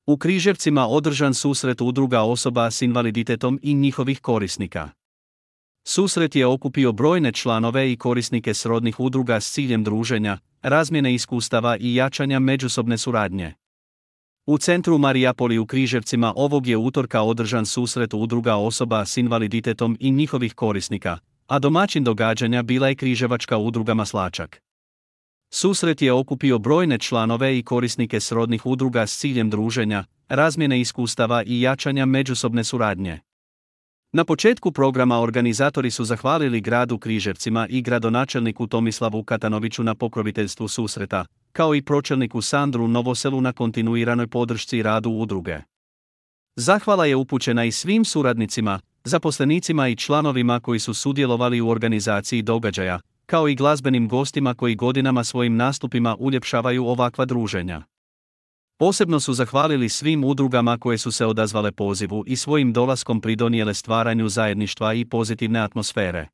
U Križevcima održan susret udruga osoba s invaliditetom i njihovih korisnika. Susret je okupio brojne članove i korisnike srodnih udruga s ciljem druženja, razmjene iskustava i jačanja međusobne suradnje. U centru Marijapoli u Križevcima ovog je utorka održan susret udruga osoba s invaliditetom i njihovih korisnika, a domaćin događanja bila je Križevačka udruga Maslačak. Susret je okupio brojne članove i korisnike srodnih udruga s ciljem druženja, razmjene iskustava i jačanja međusobne suradnje. Na početku programa organizatori su zahvalili gradu Križevcima i gradonačelniku Tomislavu Katanoviću na pokroviteljstvu susreta, kao i pročelniku Sandru Novoselu na kontinuiranoj podršci radu udruge. Zahvala je upućena i svim suradnicima, zaposlenicima i članovima koji su sudjelovali u organizaciji događaja, kao i glazbenim gostima koji godinama svojim nastupima uljepšavaju ovakva druženja. Posebno su zahvalili svim udrugama koje su se odazvale pozivu i svojim dolaskom pridonijele stvaranju zajedništva i pozitivne atmosfere.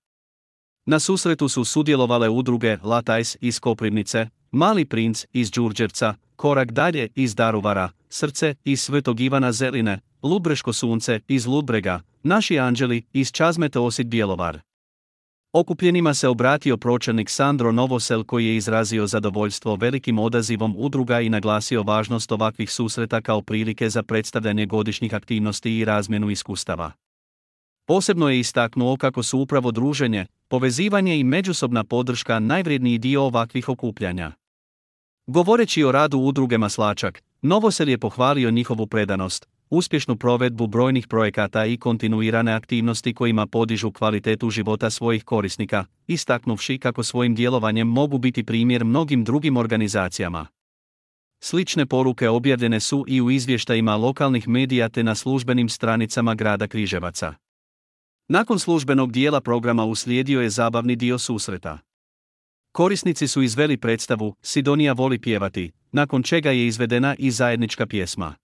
Na susretu su sudjelovale udruge Latajs iz Koprivnice, Mali princ iz Đurđevca, Korak dalje iz Daruvara, Srce iz Svetog Ivana Zeline, Ludbreško sunce iz Ludbrega, Naši anđeli iz Čazmete Osijek Bjelovar. Okupljenima se obratio pročelnik Sandro Novosel koji je izrazio zadovoljstvo velikim odazivom udruga i naglasio važnost ovakvih susreta kao prilike za predstavljanje godišnjih aktivnosti i razmjenu iskustava. Posebno je istaknuo kako su upravo druženje, povezivanje i međusobna podrška najvrijedniji dio ovakvih okupljanja. Govoreći o radu udruge Maslačak, Novosel je pohvalio njihovu predanost, uspješnu provedbu brojnih projekata i kontinuirane aktivnosti kojima podižu kvalitetu života svojih korisnika, istaknuvši kako svojim djelovanjem mogu biti primjer mnogim drugim organizacijama. Slične poruke objavljene su i u izvještajima lokalnih medija te na službenim stranicama grada Križevaca. Nakon službenog dijela programa uslijedio je zabavni dio susreta. Korisnici su izveli predstavu Sidonija voli pjevati, nakon čega je izvedena i zajednička pjesma.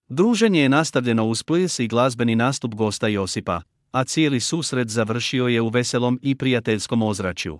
Druženje je nastavljeno uz ples i glazbeni nastup gosta Josipa, a cijeli susret završio je u veselom i prijateljskom ozračju.